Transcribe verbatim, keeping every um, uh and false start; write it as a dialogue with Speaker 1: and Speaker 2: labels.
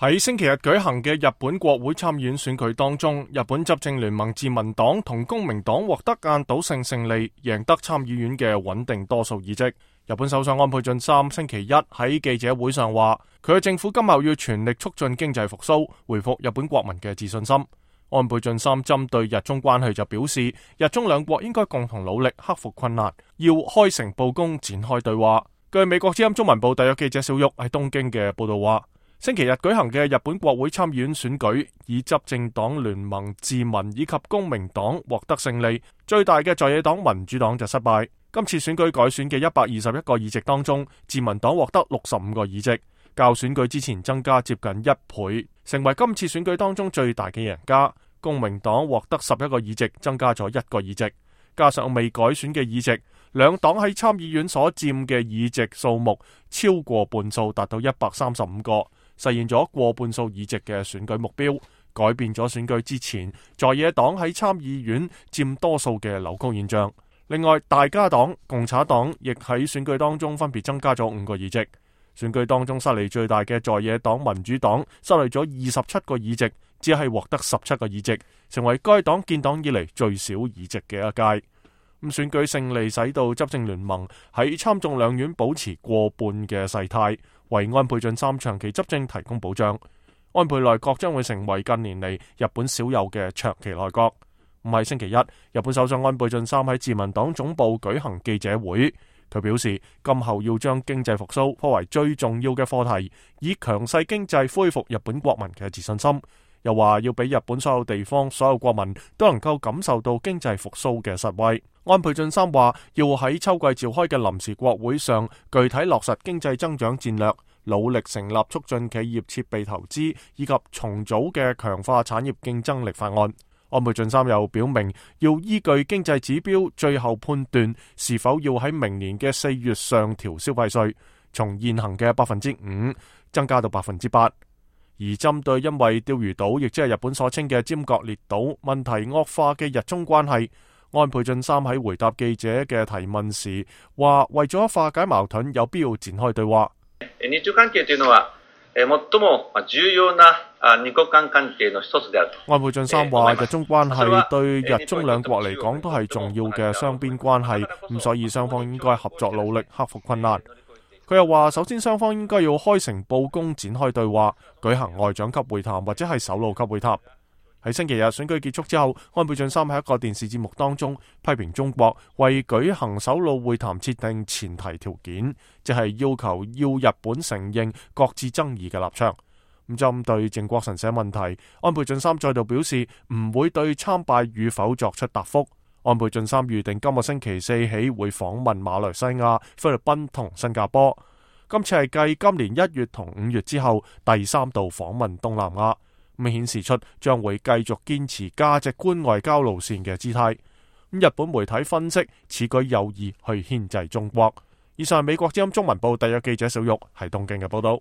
Speaker 1: 喺星期日舉行嘅日本國會參議院選舉當中，日本執政聯盟自民黨同公明黨獲得壓倒性勝利，贏得參議院嘅穩定多數議席。日本首相安倍晉三星期一喺記者會上話，佢嘅政府今後要全力促進經濟復甦，回復日本國民嘅自信心。安倍晉三針對日中關係就表示，日中兩國應該共同努力克服困難，要開誠布公展開對話。據美國之音中文部特約記者小玉喺東京嘅報道話，星期日舉行嘅日本國會參議院選舉，以執政黨聯盟自民以及公明黨獲得勝利，最大嘅在野黨民主黨就失敗。今次選舉改選嘅一百二十一個議席當中，自民黨獲得六十五個議席，較選舉之前增加接近一倍，成為今次選舉當中最大嘅贏家。公明黨獲得十一個議席，增加咗一個議席，加上未改選嘅議席，兩黨喺參議院所佔嘅議席數目超過半數，達到一百三十五個。實現咗過半數議席嘅選舉目標，改變咗選舉之前在野黨喺參議院佔多數嘅扭曲現象。另外，大家黨、共產黨亦喺選舉當中分別增加咗五個議席。選舉當中失利最大嘅在野黨民主黨失去咗二十七個議席，只係獲得十七個議席，成為該黨建黨以嚟最少議席嘅一屆。咁選舉勝利使到執政聯盟喺參眾兩院保持過半嘅勢態，為安倍晉三長期執政提供保障。安倍內閣將會成為近年嚟日本少有嘅長期內閣。唔係星期一，日本首相安倍晉三喺自民黨總部舉行記者會，佢表示今後要將經濟復甦頗為最重要嘅課題，以強勢經濟恢復日本國民嘅自信心。又話要俾日本所有地方、所有國民都能夠感受到經濟復甦嘅實惠。安倍晉三話要喺秋季召開嘅臨時國會上，具體落實經濟增長戰略，努力成立促進企業設備投資以及重組嘅強化產業競爭力法案。安倍晉三又表明，要依據經濟指標，最後判斷是否要喺明年嘅四月上調消費稅，從現行嘅百分之五增加到百分之八。而針對因為釣魚島，亦即係日本所稱嘅尖閣列島問題惡化嘅日中關係，安倍晉三喺回答記者嘅提問時話，為咗化解矛盾，有必要展開對話。
Speaker 2: 日中關係というのは最も重要な二國間關係の一つである。
Speaker 1: 安倍晉三話，日中關係對日中兩國嚟講都係重要嘅雙邊關係，咁所以雙方應該合作努力克服困難。佢又話，首先雙方應該要開誠布公展開對話，舉行外長級會談或者係首腦級會談。喺星期日選舉結束之後，安倍晉三喺一個電視節目當中批評中國為舉行首腦會談設定前提條件，即係要求要日本承認各自爭議嘅立場。咁針對靖國神社問題，安倍晉三再度表示唔會對參拜與否作出答覆。安倍晉三預定今個星期四起會訪問馬來西亞、菲律賓同新加坡。今次係繼今年一月同五月之後第三度訪問東南亞，咁顯示出將會繼續堅持價值觀外交路線嘅姿態。日本媒體分析此舉有意去牽制中國。以上係美國之音中文部特約記者小玉喺東京嘅報道。